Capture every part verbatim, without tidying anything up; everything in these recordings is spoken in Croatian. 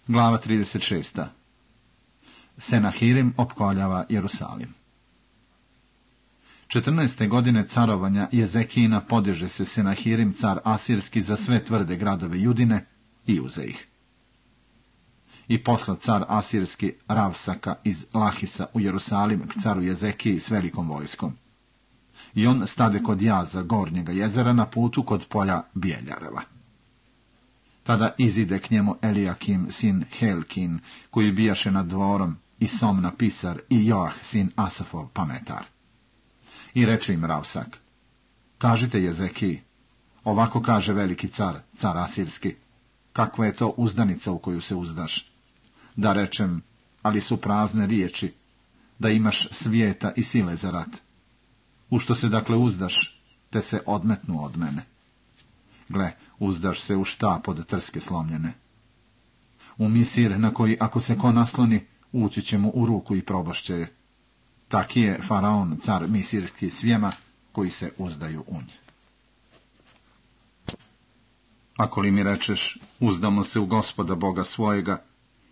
Glava trideset šest. Senahirim opkoljava Jerusalim. četrnaeste godine carovanja Jezekijina podiže se Senahirim, car asirski, za sve tvrde gradove Judine i uze ih. I posla car asirski Ravsaka iz Lahisa u Jerusalim k caru Jezekiji s velikom vojskom. I on stade kod jaza Gornjega jezera na putu kod polja Bijeljareva. Tada izide k njemu Elijakim sin Helkin, koji bijaše nad dvorom, i Somna pisar, i Joah sin Asafov pametar. I reče im Ravsak: kažite Jezekiji, ovako kaže veliki car, car asirski, kakva je to uzdanica u koju se uzdaš? Da rečem, ali su prazne riječi, da imaš svijeta i sile za rat. U što se dakle uzdaš, te se odmetnu od mene. Gle, uzdaš se u štap od trske slomljene. U misir na koji ako se ko nasloni, ući će mu u ruku i probašće je. Taki je faraon, car misirski svijema, koji se uzdaju u nje. Ako li mi rečeš, uzdamo se u Gospoda Boga svojega,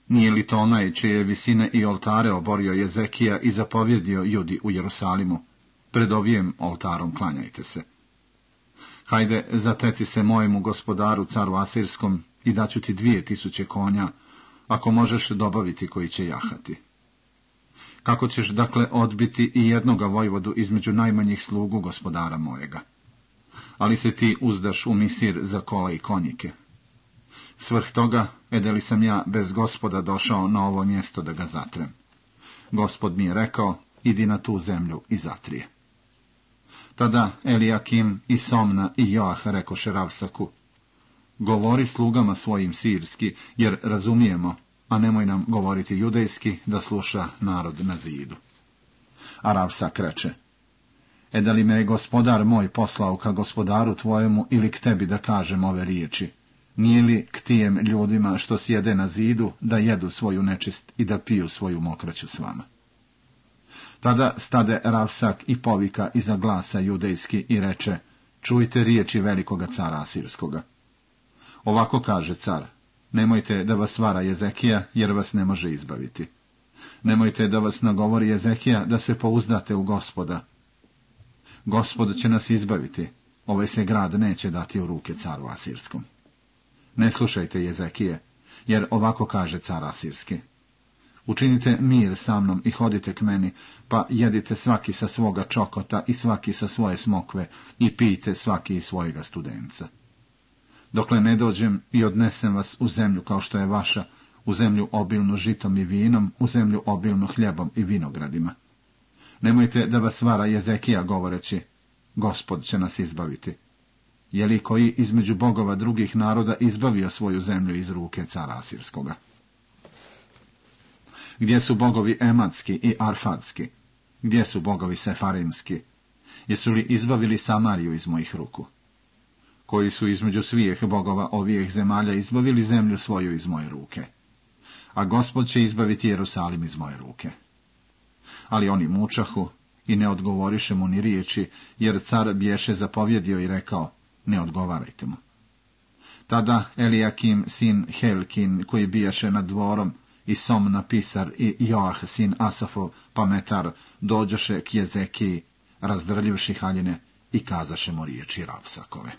nije li to onaj čije visine i oltare oborio Jezekija i zapovjedio Judi u Jerusalimu? Pred ovijem oltarom klanjajte se. Hajde, zateci se mojemu gospodaru, caru asirskom, i daću ti dvije tisuće konja, ako možeš dobaviti koji će jahati. Kako ćeš dakle odbiti i jednoga vojvodu između najmanjih slugu gospodara mojega? Ali se ti uzdaš u misir za kola i konjike. Svrh toga, edeli sam ja bez Gospoda došao na ovo mjesto da ga zatrem. Gospod mi je rekao, idi na tu zemlju i zatrije. Tada Elijakim i Somna i Joah rekoše Ravsaku: govori slugama svojim sirski, jer razumijemo, a nemoj nam govoriti judejski, da sluša narod na zidu. A Ravsak reče: e da li me je gospodar moj poslao ka gospodaru tvojemu ili k tebi da kažem ove riječi? Nije li k tijem ljudima što sjede na zidu da jedu svoju nečist i da piju svoju mokraću s vama? Tada stade Ravsak i povika iza glasa judejski i reče: čujte riječi velikoga cara asirskoga. Ovako kaže car: nemojte da vas vara Jezekija, jer vas ne može izbaviti. Nemojte da vas nagovori Jezekija da se pouzdate u Gospoda. Gospod će nas izbaviti, ovaj se grad neće dati u ruke caru asirskom. Ne slušajte Jezekije, jer ovako kaže car asirski: učinite mir sa mnom i hodite k meni, pa jedite svaki sa svoga čokota i svaki sa svoje smokve i pijte svaki iz svojega studenca. Dokle ne dođem i odnesem vas u zemlju kao što je vaša, u zemlju obilnu žitom i vinom, u zemlju obilnu hljebom i vinogradima. Nemojte da vas vara Jezekija govoreći: Gospod će nas izbaviti. Je li koji između bogova drugih naroda izbavio svoju zemlju iz ruke cara asirskoga? Gdje su bogovi ematski i arfadski? Gdje su bogovi sefarimski? Jesu li izbavili Samariju iz mojih ruku? Koji su između svijeh bogova ovijeh zemalja izbavili zemlju svoju iz moje ruke? A Gospod će izbaviti Jerusalim iz moje ruke. Ali oni mučahu i ne odgovoriše mu ni riječi, jer car biješe zapovjedio i rekao: ne odgovarajte mu. Tada Elijakim sin Helkin, koji bijaše nad dvorom, i Somna pisar i Joah sin Asafov pametar, dođoše k Jezekiji, razdrljivši haljine, i kazaše mu riječi Ravsakove.